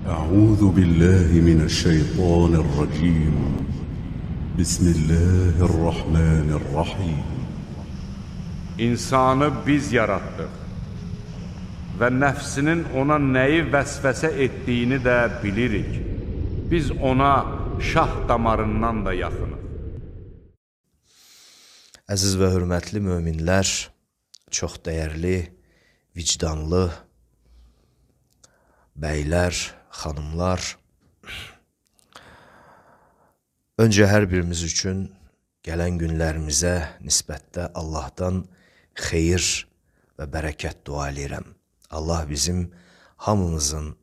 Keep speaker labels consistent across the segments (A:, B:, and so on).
A: أعوذ بالله من الشيطان الرجيم. بسم الله الرحمن الرحيم.
B: İnsanı biz yaratdıq və nəfsinin ona nəyi vəsvəsə etdiyini də bilirik. Biz ona şah damarından da yaxınıq.
C: Əziz və hörmətli möminlər, çox dəyərli, vicdanlı bəylər, xanımlar, öncə hər birimiz üçün gələn günlərimizə nisbətdə Allahdan xeyir və bərəkət dua edirəm. Allah bizim hamımızın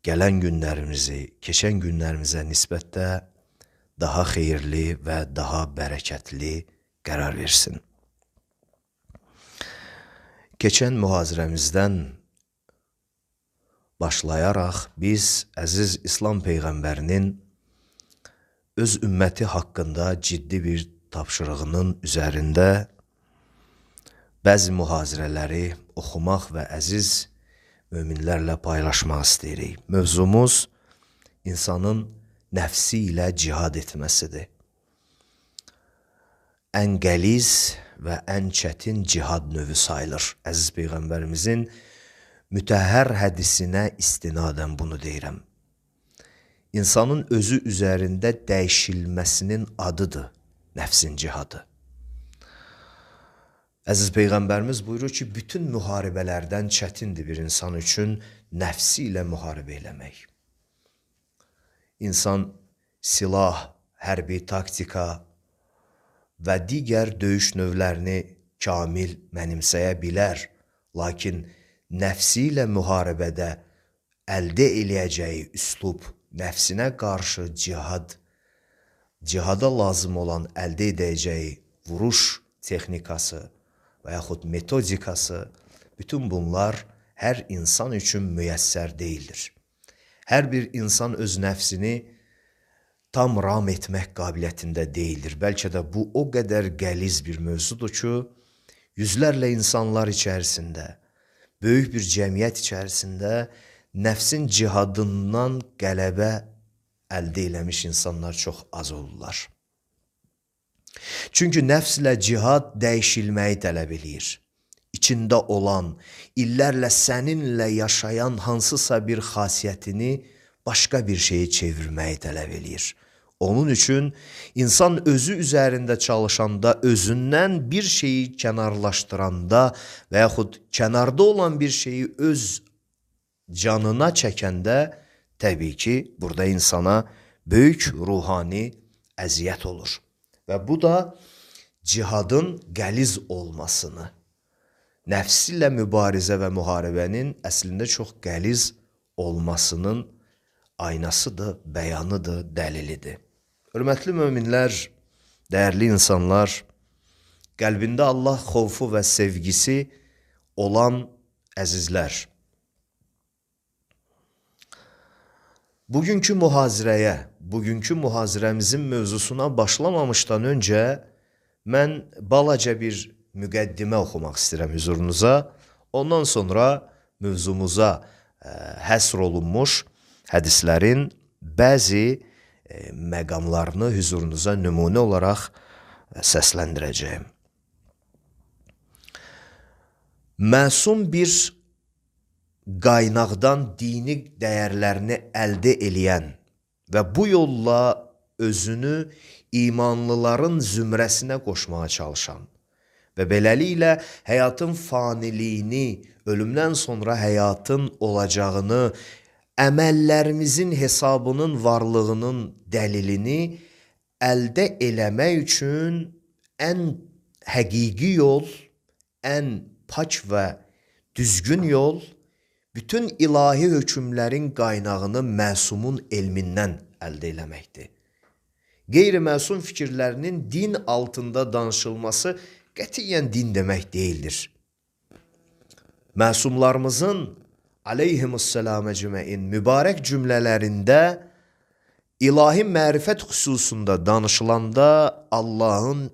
C: gələn günlərimizi, keçən günlərimizə nisbətdə daha xeyirli və daha bərəkətli qərar versin. Keçən mühazirəmizdən başlayaraq biz əziz İslam Peyğəmbərinin öz ümməti haqqında ciddi bir tapşırığının üzərində bəzi mühazirələri oxumaq və əziz möminlərlə paylaşmaq istəyirik. Mövzumuz insanın nəfsi ilə cihad etməsidir. Ən qəliz və ən çətin cihad növü sayılır. Əziz Peyğəmbərimizin mütəhhər hədisinə istinadən bunu deyirəm. İnsanın özü üzərində dəyişilməsinin adıdır nəfsin cihadı. Əziz Peyğəmbərimiz buyurur ki, bütün müharibələrdən çətindir bir insan üçün nəfsi ilə müharibə eləmək. İnsan silah, hərbi taktika və digər döyüş növlərini kamil mənimsəyə bilər, lakin nəfsi ilə müharibədə əldə eləyəcəyi üslub, nəfsinə qarşı cihada lazım olan əldə edəcəyi vuruş texnikası və yaxud metodikası, bütün bunlar hər insan üçün müyəssər deyildir. Hər bir insan öz nəfsini tam ram etmək qabiliyyətində deyildir. Bəlkə də bu o qədər qəliz bir mövzudur ki, yüzlərlə insanlar içərisində, böyük bir cəmiyyət içərisində nəfsin cihadından qələbə əldə eləmiş insanlar çox az olurlar. Çünki nəfslə cihad dəyişilməyi tələb eləyir. İçində olan, illərlə səninlə yaşayan hansısa bir xasiyyətini başqa bir şeyi çevirməyi tələb eləyir. Onun üçün insan özü üzərində çalışanda, özündən bir şeyi kənarlaşdıranda və yaxud kənarda olan bir şeyi öz canına çəkəndə, təbii ki, burada insana böyük ruhani əziyyət olur. Və bu da cihadın qəliz olmasını, nəfsi ilə mübarizə və müharibənin əslində çox qəliz olmasının aynasıdır, bəyanıdır, dəlilidir. Hörmətli möminlər, dəyərli insanlar, qəlbində Allah xovfu və sevgisi olan əzizlər, bugünkü mühazirəmizin mövzusuna başlamamışdan öncə mən balaca bir müqəddimə oxumaq istəyirəm huzurunuza. Ondan sonra mövzumuza həsr olunmuş hədislərin bəzi məqamlarını huzurunuza nümunə olaraq səsləndirəcəyim. Məsum bir qaynaqdan dini dəyərlərini əldə eləyən və bu yolla özünü imanlıların zümrəsinə qoşmağa çalışan və beləliklə həyatın faniliyini, ölümdən sonra həyatın olacağını, əməllərimizin hesabının varlığının dəlilini əldə eləmək üçün ən həqiqi yol, ən pak və düzgün yol, bütün ilahi hökmlərin qaynağını məsumun elmindən əldə eləməkdir. Qeyri-məsum fikirlərinin din altında danışılması qətiyyən din demək deyildir. Məsumlarımızın aleyhimussalam əcməin mübarək cümlələrində ilahi mərifət xüsusunda danışılanda Allahın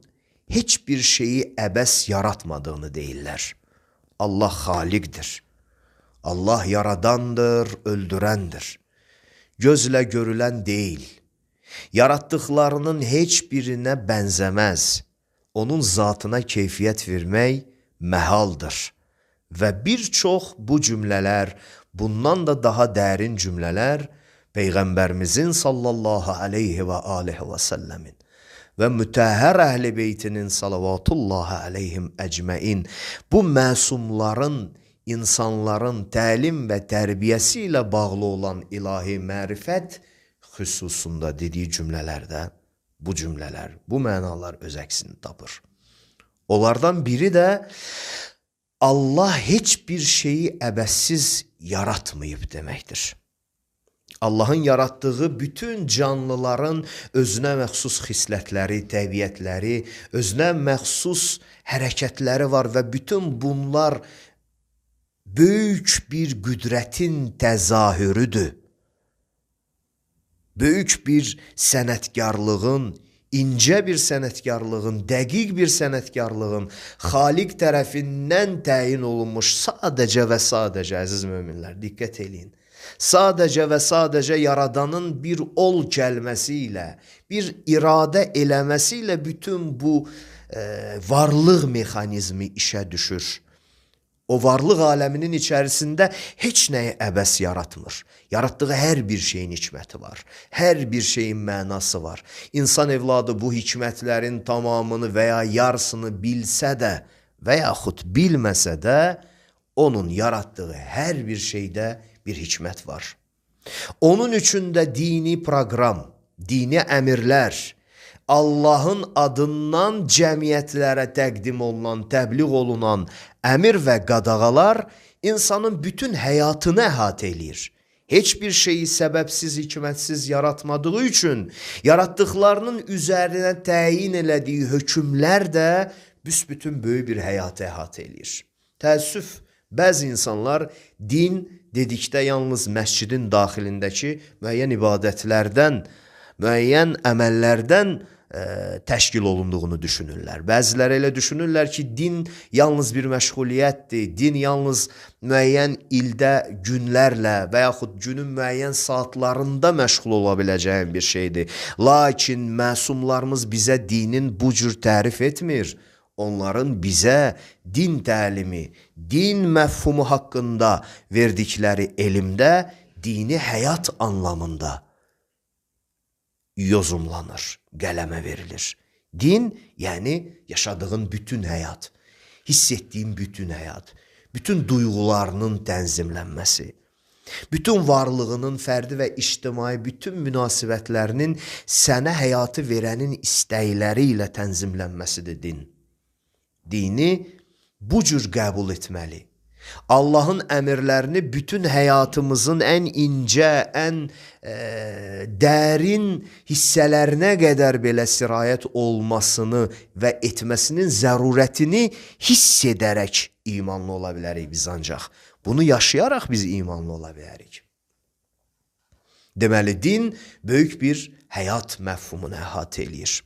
C: heç bir şeyi əbəs yaratmadığını deyirlər. Allah xaliqdir. Allah yaradandır, öldürəndir. Gözlə görülən deyil. Yaratdıqlarının heç birinə bənzəməz. Onun zatına keyfiyyət vermək məhaldır. Və bir çox bu cümlələr, bundan da daha dərin cümlələr Peyğəmbərimizin sallallahu aleyhi və aleyhi və səlləmin və mütəhhər əhl-i beytinin salavatullahi aleyhim əcməin bu məsumların, insanların təlim və tərbiyəsi ilə bağlı olan ilahi mərifət xüsusunda dediyi cümlələrdə bu cümlələr, bu mənalar öz əksini tapır. Onlardan biri də Allah heç bir şeyi əbəssiz yaratmayıb deməkdir. Allahın yaratdığı bütün canlıların özünə məxsus xislətləri, təbiətləri, özünə məxsus hərəkətləri var və bütün bunlar böyük bir qüdrətin təzahürüdür. Böyük bir sənətkarlığın, incə bir sənətkarlığın, dəqiq bir sənətkarlığın Xaliq tərəfindən təyin olunmuş sadəcə və sadəcə, əziz möminlər, diqqət eləyin. Sadəcə və sadəcə yaradanın bir ol gəlməsi ilə, bir iradə eləməsi ilə bütün bu varlıq mexanizmi işə düşür. O varlıq aləminin içərisində heç nəyi əbəs yaratmır. Yaratdığı hər bir şeyin hikməti var. Hər bir şeyin mənası var. İnsan evladı bu hikmətlərin tamamını və ya yarısını bilsə də və yaxud bilməsə də onun yaratdığı hər bir şeydə bir hikmət var. Onun üçün də dini proqram, dini əmirlər, Allahın adından cəmiyyətlərə təqdim olunan, təbliğ olunan əmir və qadağalar insanın bütün həyatını əhatə eləyir. Heç bir şeyi səbəbsiz, hikmətsiz yaratmadığı üçün yaratdıqlarının üzərinə təyin elədiyi hökmlər də büsbütün böyük bir həyatı əhatə eləyir. Təəssüf, bəzi insanlar din dedikdə yalnız məscidin daxilindəki müəyyən ibadətlərdən, müəyyən əməllərdən təşkil olunduğunu düşünürlər. Bəziləri elə düşünürlər ki, din yalnız bir məşğuliyyətdir, din yalnız müəyyən ildə günlərlə və yaxud günün müəyyən saatlarında məşğul ola biləcəyin bir şeydir. Lakin məsumlarımız bizə dinin bu cür tərif etmir. Onların bizə din təlimi, din məfhumu haqqında verdikləri elmdə dini həyat anlamında yozumlanır, qələmə verilir. Din, yəni yaşadığın bütün həyat, hiss etdiyin bütün həyat, bütün duyğularının tənzimlənməsi, bütün varlığının fərdi və ictimai bütün münasibətlərinin sənə həyatı verənin istəkləri ilə tənzimlənməsidir din. Dini bu cür qəbul etməli. Allahın əmrlərini bütün həyatımızın ən incə, ən dərin hissələrinə qədər belə sirayət olmasını və etməsinin zərurətini hiss edərək imanlı ola bilərik biz ancaq. Bunu yaşayaraq biz imanlı ola bilərik. Deməli, din böyük bir həyat məfhumunu əhatə eləyir.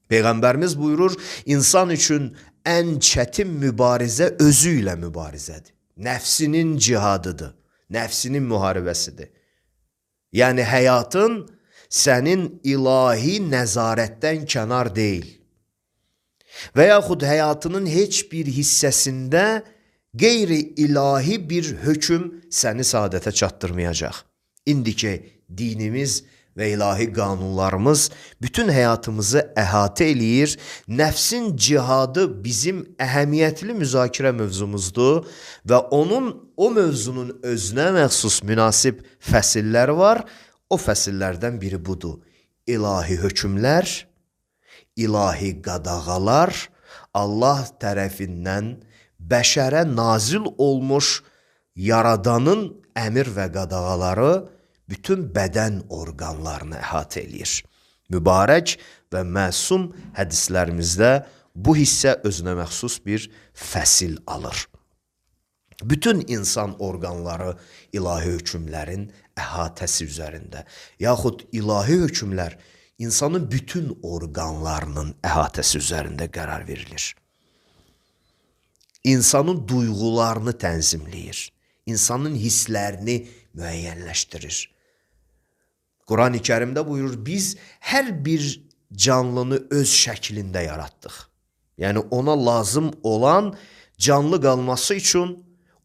C: Peyğəmbərimiz buyurur, insan üçün ən çətin mübarizə özü ilə mübarizədir. Nəfsinin cihadıdır, nəfsinin müharibəsidir. Yəni, həyatın sənin ilahi nəzarətdən kənar deyil. Və yaxud həyatının heç bir hissəsində qeyri-ilahi bir hökm səni saadətə çatdırmayacaq. İndiki dinimiz və ilahi qanunlarımız bütün həyatımızı əhatə eləyir. Nəfsin cihadı bizim əhəmiyyətli müzakirə mövzumuzdur və o mövzunun özünə məxsus münasib fəsilləri var. O fəsillərdən biri budur. İlahi hökmlər, ilahi qadağalar, Allah tərəfindən bəşərə nazil olmuş yaradanın əmir və qadağaları bütün bədən orqanlarını əhatə eləyir. Mübarək və məsum hədislərimizdə bu hissə özünə məxsus bir fəsil alır. Bütün insan orqanları ilahi hökmlərin əhatəsi üzərində, yaxud ilahi hökmlər insanın bütün orqanlarının əhatəsi üzərində qərar verilir. insanın duyğularını tənzimləyir, insanın hisslərini müəyyənləşdirir. Quran-ı Kərimdə buyurur, biz hər bir canlını öz şəklində yaratdıq. Yəni ona lazım olan canlı qalması üçün,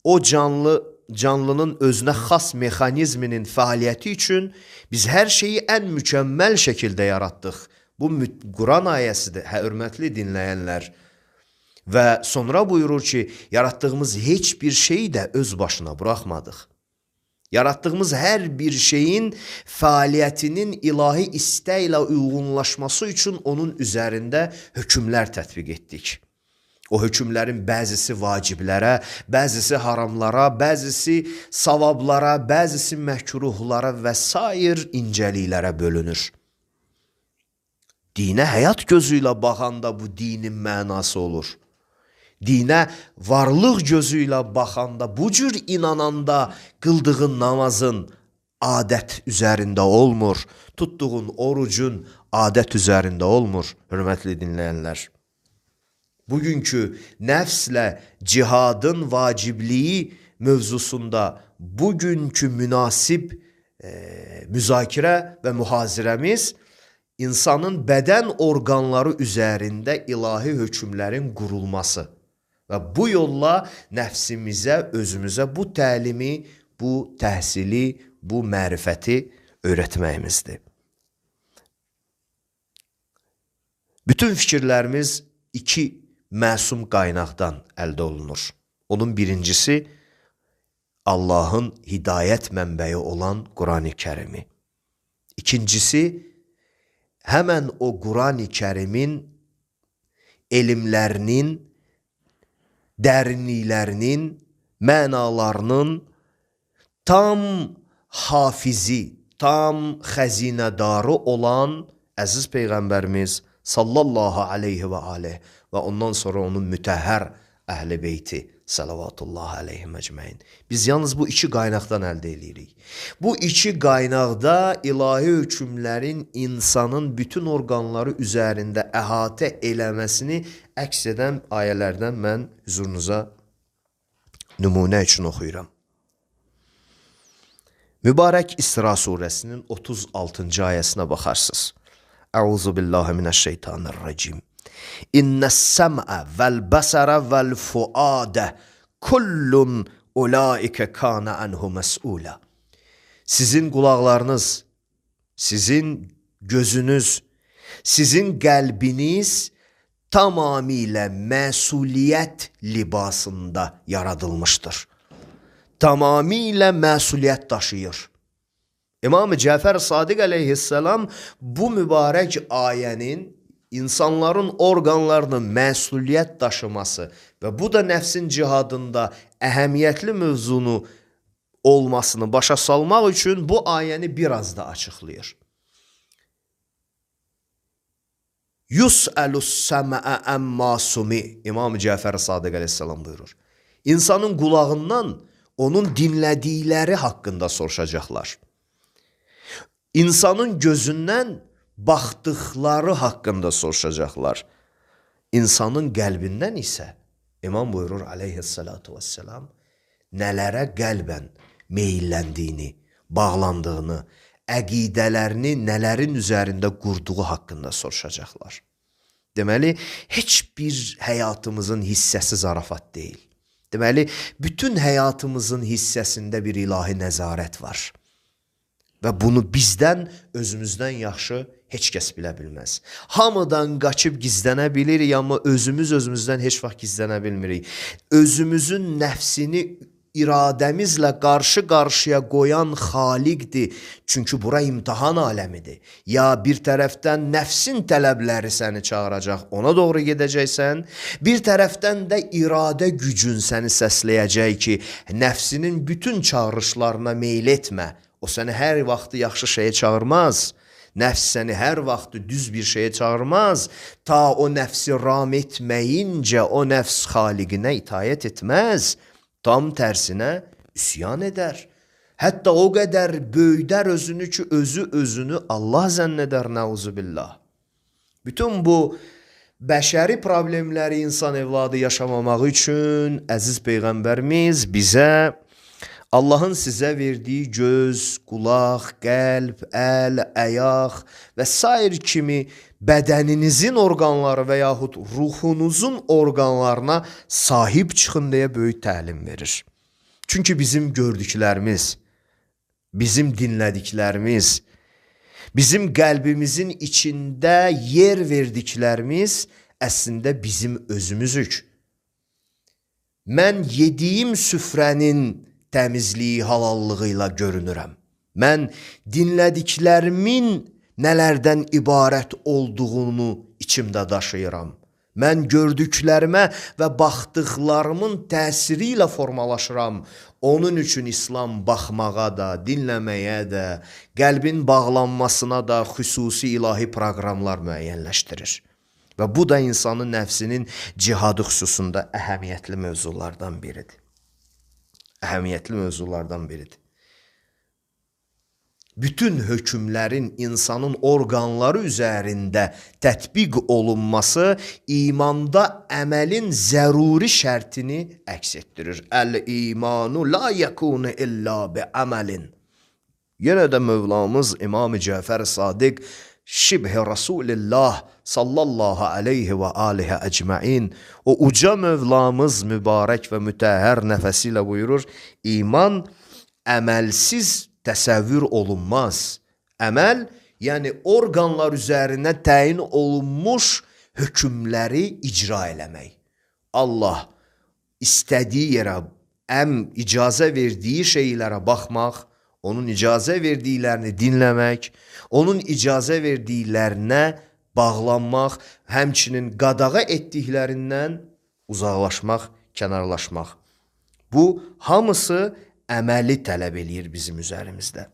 C: o canlının özünə xas mexanizminin fəaliyyəti üçün biz hər şeyi ən mükəmməl şəkildə yaratdıq. Bu Quran ayəsidir, hörmətli dinləyənlər. Və sonra buyurur ki, yaratdığımız heç bir şeyi də öz başına buraxmadıq. Yaratdığımız hər bir şeyin fəaliyyətinin ilahi istəklə uyğunlaşması üçün onun üzərində hökmlər tətbiq etdik. O hökmlərin bəzisi vaciblərə, bəzisi haramlara, bəzisi savablara, bəzisi məkruhlara və sair incəliklərə bölünür. Dinə həyat gözü ilə baxanda bu dinin mənası olur. Dinə varlıq gözü ilə baxanda, bu cür inananda qıldığın namazın adət üzərində olmur, tutduğun orucun adət üzərində olmur, hörmətli dinləyənlər. Bugünkü nəfslə cihadın vacibliyi mövzusunda bugünkü münasib müzakirə və mühazirəmiz insanın bədən orqanları üzərində ilahi hökmlərin qurulması və bu yolla nəfsimizə, özümüzə bu təlimi, bu təhsili, bu mərifəti öyrətməyimizdir. Bütün fikirlərimiz iki məsum qaynaqdan əldə olunur. Onun birincisi, Allahın hidayət mənbəyi olan Quran-ı Kərimi. İkincisi, həmən o Quran-ı Kərimin elmlərinin, dərinliklərinin, mənalarının tam hafizi, tam xəzinədarı olan əziz Peyğəmbərimiz sallallahu aleyhi və aleyh və ondan sonra onun mütəhhər əhl-i beyti salavatullah aleyhi məcməin. Biz yalnız bu iki qaynaqdan əldə edirik. Bu iki qaynaqda ilahi hökmlərin insanın bütün orqanları üzərində əhatə eləməsini əks edən ayələrdən mən huzurunuza nümunə üçün oxuyuram. Mübarək İsra surəsinin 36-cı ayəsinə baxarsınız. Əuzu billahi minəşşeytanirracim. İnnəs-səm'ə vəl-bəsərə vəl-fuadə kullun ulaikə kana anhu məs'ulə. Sizin qulaqlarınız, sizin gözünüz, sizin qəlbiniz tamamilə məsuliyyət libasında yaradılmışdır. Tamamilə məsuliyyət daşıyır. İmam-ı Cəfər Sadiq əleyhissalam bu mübarək ayənin insanların orqanlarının məsuliyyət daşıması və bu da nəfsin cihadında əhəmiyyətli mövzunu olmasını başa salmaq üçün bu ayəni biraz da açıqlayır. Yus'əlus-səmə'ə əmmə sumi. İmam-ı Cəfər Sadiq əleyhissalam buyurur. İnsanın qulağından onun dinlədikləri haqqında soruşacaqlar. İnsanın gözündən baxdıqları haqqında soruşacaqlar. İnsanın qəlbindən isə İmam buyurur aleyhissalatu vesselam nələrə qəlbən meyilləndiyini, bağlandığını, əqidələrini nələrin üzərində qurduğu haqqında soruşacaqlar. Deməli, heç bir həyatımızın hissəsi zarafat deyil. Deməli, bütün həyatımızın hissəsində bir ilahi nəzarət var. Və bunu bizdən, özümüzdən yaxşı heç kəs bilə bilməz. Hamıdan qaçıb gizlənə bilirik, amma özümüzdən heç vaxt gizlənə bilmirik. Özümüzün nəfsini iradəmizlə qarşı-qarşıya qoyan xaliqdir. Çünki bura imtihan aləmidir. Ya bir tərəfdən nəfsin tələbləri səni çağıracaq, ona doğru gedəcəksən. Bir tərəfdən də iradə gücün səni səsləyəcək ki, nəfsinin bütün çağırışlarına meyl etmə. O səni hər vaxtı yaxşı şeyə çağırmaz. Nəfs səni hər vaxtı düz bir şeyə çağırmaz. Ta o nəfsi ram etməyincə o nəfs xaliqinə itayət etməz. Tam tərsinə üsyan edər. Hətta o qədər böyüdər özünü ki, özünü Allah zənn edər, nəuzubillah. Bütün bu bəşəri problemləri insan evladı yaşamamaq üçün əziz Peyğəmbərimiz bizə Allahın sizə verdiyi göz, qulaq, qəlb, əl, əyaq və sair kimi bədəninizin orqanları və yaxud ruhunuzun orqanlarına sahib çıxın deyə böyük təlim verir. Çünki bizim gördüklərimiz, bizim dinlədiklərimiz, bizim qəlbimizin içində yer verdiklərimiz əslində bizim özümüzük. Mən yediyim süfrənin təmizliyi, halallığı ilə görünürəm. Mən dinlədiklərimin nələrdən ibarət olduğunu içimdə daşıyıram. Mən gördüklərimə və baxdıqlarımın təsiri ilə formalaşıram. Onun üçün İslam baxmağa da, dinləməyə də, qəlbin bağlanmasına da xüsusi ilahi proqramlar müəyyənləşdirir. Və bu da insanın nəfsinin cihadı xüsusunda əhəmiyyətli mövzulardan biridir. Əhəmiyyətli mövzulardan biridir. Bütün hökmlərin insanın orqanları üzərində tətbiq olunması imanda əməlin zəruri şərtini əks etdirir. Əl-imanu la yəkunu illa bi-əməlin. Yenə də Mövlamız İmam-ı Cəfər Sadiq Şibh-i Rasulillah sallallahu aleyhi və aleyhi əcməin o uca Mövlamız mübarək və mütəhhər nəfəsi ilə buyurur, iman əməlsiz təsəvvür olunmaz. Əməl, yəni orqanlar üzərinə təyin olunmuş hökmləri icra eləmək. Allah istədiyi yerə, icazə verdiyi şeylərə baxmaq, onun icazə verdiklərini dinləmək, onun icazə verdiklərinə bağlanmaq, həmçinin qadağa etdiklərindən uzaqlaşmaq, kənarlaşmaq. Bu hamısı əməli tələb eləyir bizim üzərimizdə.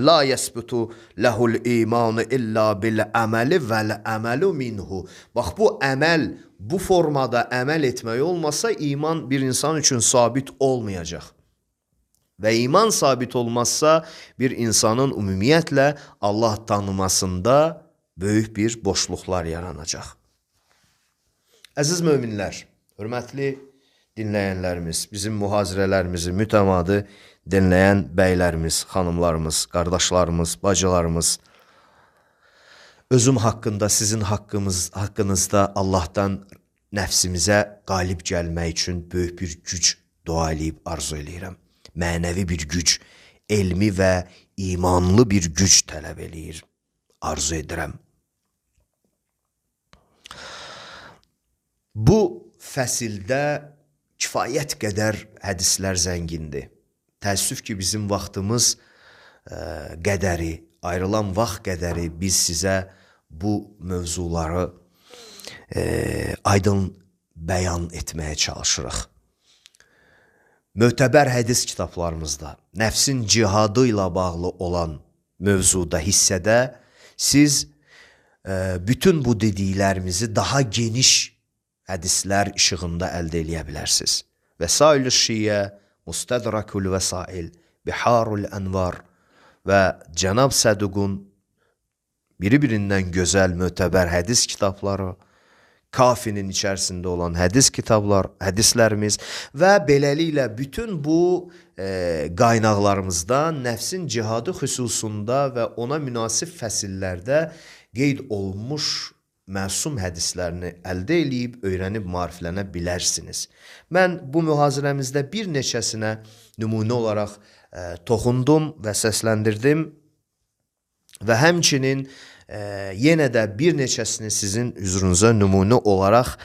C: La yəsbutu ləhul imanu illa bil əməli vəl əməlu minhu. Bax, bu əməl, bu formada əməl etmək olmasa iman bir insan üçün sabit olmayacaq. Və iman sabit olmazsa bir insanın ümumiyyətlə Allah tanımasında böyük bir boşluqlar yaranacaq. Əziz möminlər, hörmətli dinləyənlərimiz, bizim mühazirələrimizi mütəmadi dinləyən bəylərimiz, xanımlarımız, qardaşlarımız, bacılarımız, özüm haqqında, sizin haqqınızda Allahdan nəfsimizə qalib gəlmək üçün böyük bir güc dua eləyib arzu eləyirəm. Mənəvi bir güc, elmi və imanlı bir güc tələb eləyir, arzu edirəm. Bu fəsildə kifayət qədər hədislər zəngindir. Təəssüf ki, bizim vaxtımız qədəri, ayrılan vaxt qədəri biz sizə bu mövzuları aydın bəyan etməyə çalışırıq. Mötəbər hədis kitablarımızda, nəfsin cihadı ilə bağlı olan mövzuda, hissədə siz bütün bu dediklərimizi daha geniş hədislər işığında əldə eləyə bilərsiniz. Vəsail-i Şiyə, Mustədrakul Vəsail, Biharul Ənvar və Cənab Səduqun biri-birindən gözəl mötəbər hədis kitabları, Kafinin içərisində olan hədis kitablar, hədislərimiz və beləliklə bütün bu qaynaqlarımızdan nəfsin cihadı xüsusunda və ona münasib fəsillərdə qeyd olunmuş məsum hədislərini əldə eləyib, öyrənib maariflənə bilərsiniz. Mən bu mühazirəmizdə bir neçəsinə nümunə olaraq toxundum və səsləndirdim və həmçinin yenə də bir neçəsini sizin hüzurunuza nümunə olaraq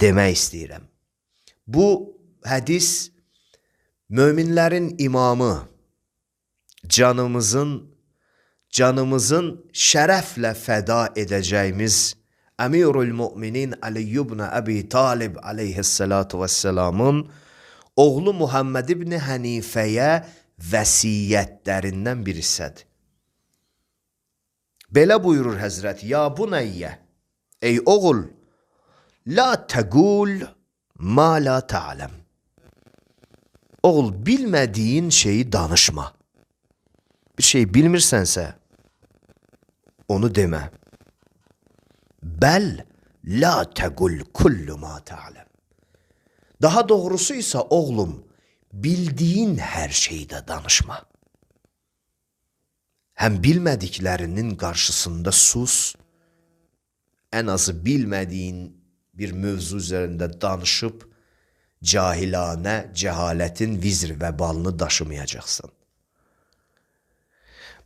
C: demək istəyirəm. Bu hədis möminlərin imamı, canımızın şərəflə fəda edəcəyimiz Əmirul Müminin Ali ibn Əbi Talib aleyhissalatu vesselamın oğlu Muhammed ibn Hənifəyə vəsiyyətlərindən bir hissədir. Belə buyurur Həzrət, ya bunəyyə, ey oğul, la təqul ma la ta'ləm. Oğul, bilmədiyin şeyi danışma. Bir şey bilmirsənsə, onu demə. Bəl la təqul kullu ma ta'lem. Daha doğrusu ise oğlum, bildiğin her şeyde danışma. Hem bilmediklerinin karşısında sus, en azı bilmediğin bir mövzu üzerinde danışıp, cahilane, cehaletin vizr vebalını daşımayacaksın.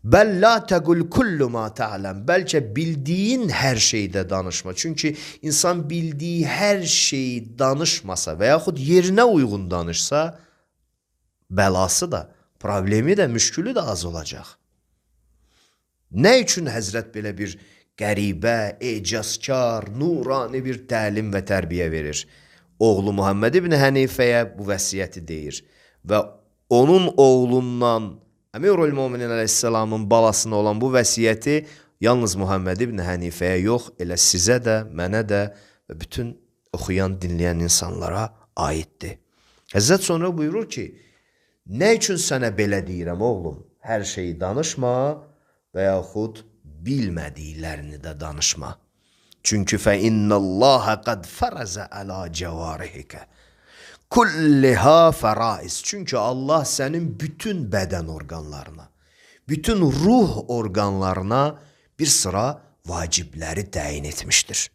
C: Bəl la təqul kullu ma ta'lem. Bəlkə bildiğin her şeyde danışma. Çünkü insan bildiği her şeyi danışmasa və yaxud yerinə uyğun danışsa, bəlası da, problemi de, müşkülü de az olacaq. Nə üçün Həzrət belə bir qəribə, ecazkar, nurani bir təlim və tərbiyə verir? Oğlu Muhammed ibn Hənifəyə bu vəsiyyəti deyir və onun oğlundan Əmirül Möminin əleyhissalamın balasına olan bu vəsiyyəti yalnız Muhammed ibn Hənifəyə yox, elə sizə də, mənə də və bütün oxuyan, dinləyən insanlara aiddir. Həzrət sonra buyurur ki, nə üçün sənə belə deyirəm oğlum? Hər şeyi danışma və yaxud bilmədiklərini də danışma. Çünki fəinnəlləhə qəd fərəzə ələ cəvarihikə kulliha fəraiz. Çünki Allah sənin bütün bədən orqanlarına, bütün ruh orqanlarına bir sıra vacibləri təyin etmişdir.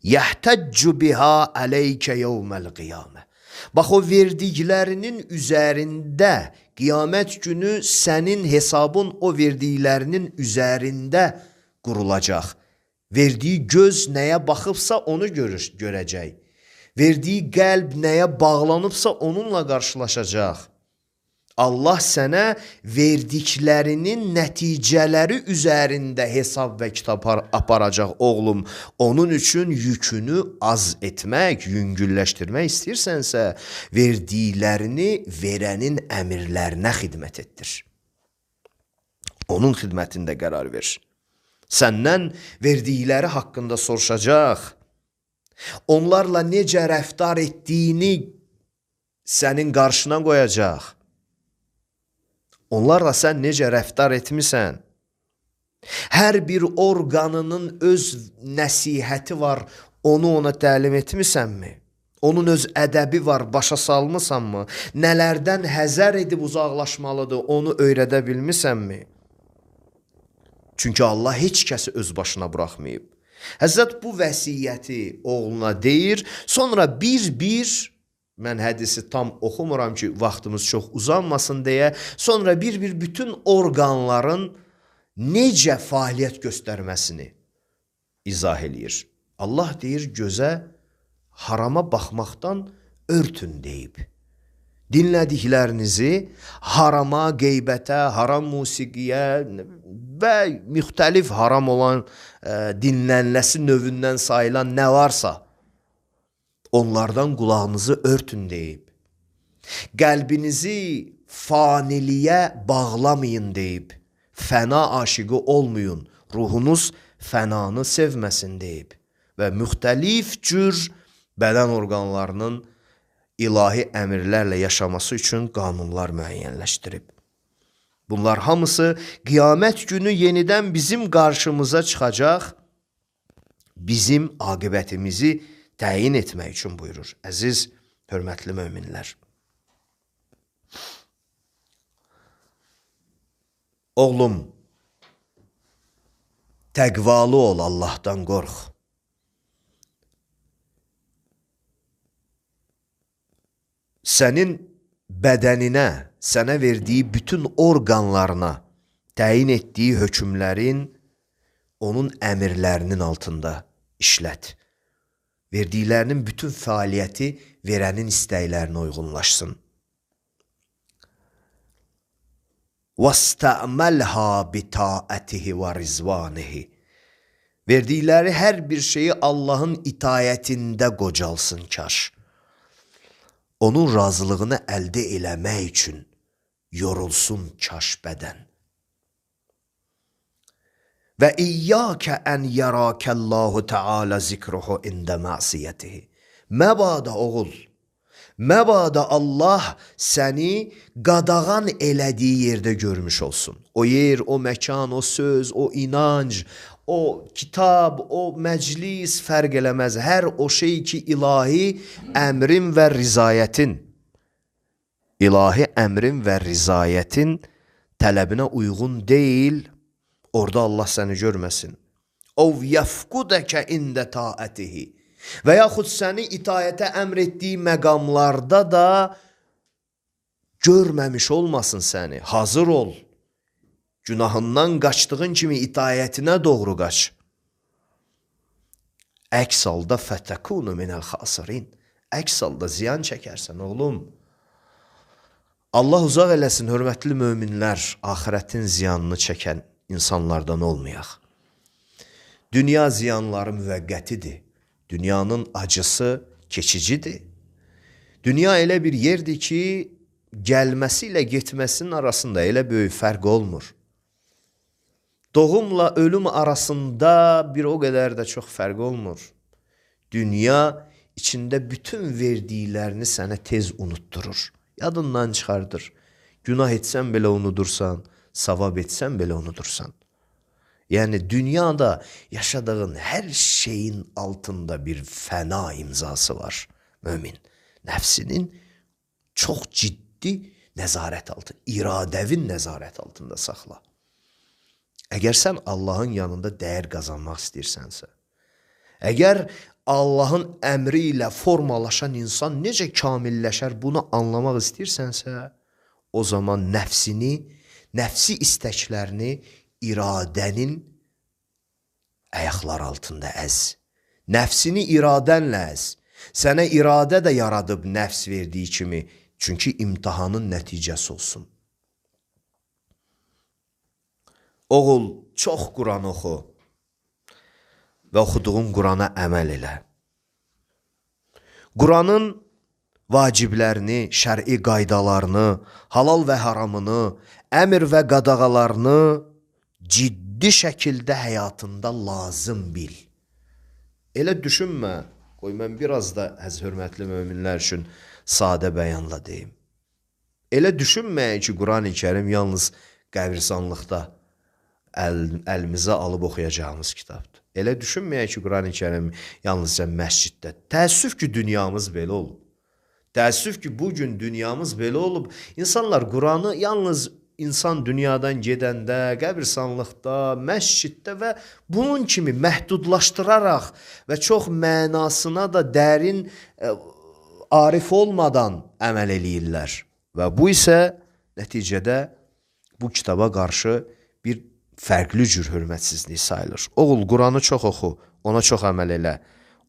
C: Yəhtəccu biha ələykə yevməl qiyamə. Bax, o verdiklərinin üzərində qiyamət günü sənin hesabın o verdiklərinin üzərində qurulacaq. Verdiyi göz nəyə baxıbsa onu görəcək. Verdiyi qəlb nəyə bağlanıbsa onunla qarşılaşacaq. Allah sənə verdiklərinin nəticələri üzərində hesab və kitab aparacaq oğlum. Onun üçün yükünü az etmək, yüngülləşdirmək istəyirsənsə, verdiklərini verənin əmirlərinə xidmət etdir. Onun xidmətində qərar ver. Səndən verdikləri haqqında soruşacaq. Onlarla necə rəftar etdiyini sənin qarşına qoyacaq. Onlarla sən necə rəftar etmisən? Hər bir orqanının öz nəsihəti var, onu ona təlim etmisənmi? Onun öz ədəbi var, başa salmısanmı? Nələrdən həzər edib uzaqlaşmalıdır, onu öyrədə bilmisənmi? Çünki Allah heç kəsi öz başına buraxmayıb. Həzrət bu vəsiyyəti oğluna deyir, sonra bir-bir, mən hədisi tam oxumuram ki, vaxtımız çox uzanmasın deyə, sonra bir-bir bütün orqanların necə fəaliyyət göstərməsini izah eləyir. Allah deyir, gözə harama baxmaqdan örtün deyib. Dinlədiklərinizi harama, qeybətə, haram musiqiyə və müxtəlif haram olan dinlənləsi növündən sayılan nə varsa, onlardan qulağınızı örtün deyib. Qəlbinizi faniliyə bağlamayın deyib. Fəna aşıqı olmayın, ruhunuz fənanı sevməsin deyib. Və müxtəlif cür bədən orqanlarının ilahi əmirlərlə yaşaması üçün qanunlar müəyyənləşdirib. Bunlar hamısı qiyamət günü yenidən bizim qarşımıza çıxacaq, bizim aqibətimizi təyin etmək üçün buyurur. Əziz, hörmətli möminlər. Oğlum, təqvalı ol, Allahdan qorx. Sənin bədəninə, sənə verdiyi bütün orqanlarına təyin etdiyi hökmlərin onun əmirlərinin altında işlət. Verdiklərinin bütün fəaliyyəti verənin istəklərinə uyğunlaşsın. وَاسْتَعْمَلْهَا بِتَاءَتِهِ وَرِزْوَانِهِ. Verdikləri hər bir şeyi Allahın itayətində qocalsın kaş. Onun razılığını əldə eləmək üçün yorulsun kaş bədən. Və iyyəkə ən yərəkəllahu Teala zikruhu ində məsiyyətihi. Məbada oğul, Məbada Allah səni qadağan elədiyi yerdə görmüş olsun. O yer, o məkan, o söz, o inanc, o kitab, o məclis fərq eləməz. Hər o şey ki, ilahi əmrin və rizayətin tələbinə uyğun deyil, orada Allah səni görməsin. Ov yəfqudəkə ində taətihi. Və yaxud səni itayətə əmr etdiyi məqamlarda da görməmiş olmasın səni. Hazır ol. Günahından qaçdığın kimi itayətinə doğru qaç. Əks halda fətəkunu minəl xasirin. Əks halda ziyan çəkərsən, oğlum. Allah uzaq eləsin, hörmətli möminlər, axirətin ziyanını çəkən insanlardan olmayaq. Dünya ziyanları müvəqqətidir. Dünyanın acısı keçicidir. Dünya elə bir yerdir ki, gəlməsi ilə getməsinin arasında elə böyük fərq olmur. Doğumla ölüm arasında bir o qədər də çox fərq olmur. Dünya içində bütün verdiklərini sənə tez unutturur. Yadından çıxardır. Günah etsən belə unudursan, savab etsən belə unudursan. Yəni dünyada yaşadığın hər şeyin altında bir fəna imzası var. Mömin, nəfsinin çox ciddi nəzarət altında, iradəvin nəzarət altında saxla. Əgər sən Allahın yanında dəyər qazanmaq istəyirsənsə, əgər Allahın əmri ilə formalaşan insan necə kamilləşər bunu anlamaq istəyirsənsə, o zaman nəfsi istəklərini iradənin ayaqlar altında əz. Nəfsini iradənlə əz. Sənə iradə də yaradıb nəfs verdiyi kimi, çünki imtihanın nəticəsi olsun. Oğul, çox Quran oxu və oxuduğun Qurana əməl elə. Quranın vaciblərini, şər'i qaydalarını, halal və haramını, əmr və qadağalarını ciddi şəkildə həyatında lazım bil. Elə düşünmə, qoy mən biraz da hörmətli möminlər üçün sadə bəyanla deyim. Elə düşünməyin ki, Quran-ı Kərim yalnız qəbirstanlıqda əlimizə alıb oxuyacağımız kitabdır. Elə düşünməyək ki, Quran-ı Kərim yalnızca məsciddə. Təəssüf ki, dünyamız belə olub. Təəssüf ki, bugün dünyamız belə olub. İnsanlar Quranı yalnız insan dünyadan gedəndə, qəbirstanlıqda, məsciddə və bunun kimi məhdudlaşdıraraq və çox mənasına da dərin arif olmadan əməl eləyirlər. Və bu isə nəticədə bu kitaba qarşı bir fərqli cür hörmətsizlik sayılır. Oğul, Quranı çox oxu, ona çox əməl elə.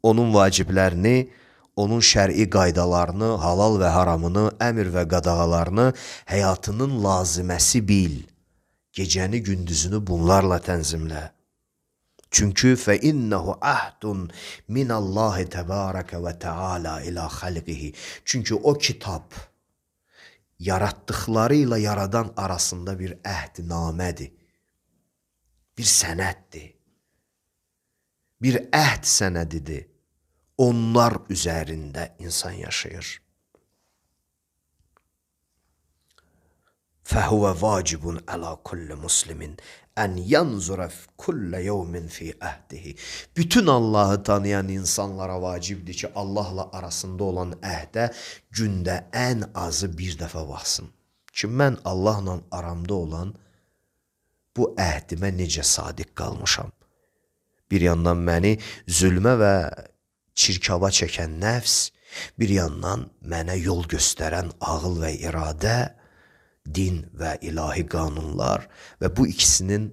C: Onun vaciblərini, onun şər'i qaydalarını, halal və haramını, əmr və qadağalarını həyatının laziməsi bil. Gecəni, gündüzünü bunlarla tənzimlə. Çünki fəinnəhu əhdun minallahi təbarəkə və təala ilə xəlqihi. Çünki o kitab yaratdıqları ilə yaradan arasında bir əhdnamədir. Bir sənəddir. Bir əhd sənədidir. Onlar üzərində insan yaşayır. Fəhuvə vacibun əla kulli muslimin ən yanzura kullə yevmin fi əhdihi. Bütün Allahı tanıyan insanlara vacibdir ki, Allahla arasında olan əhdə gündə ən azı bir dəfə baxsın. Ki, mən Allahla aramda olan bu əhdimə necə sadiq qalmışam. Bir yandan məni zülmə və çirkaba çəkən nəfs, bir yandan mənə yol göstərən ağıl və iradə, din və ilahi qanunlar və bu ikisinin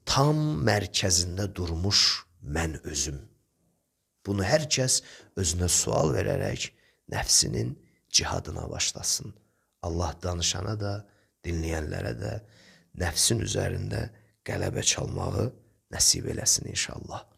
C: tam mərkəzində durmuş mən özüm. Bunu hər kəs özünə sual verərək nəfsinin cihadına başlasın. Allah danışana da, dinləyənlərə də nəfsin üzərində qələbə çalmağı nəsib eləsin inşallah.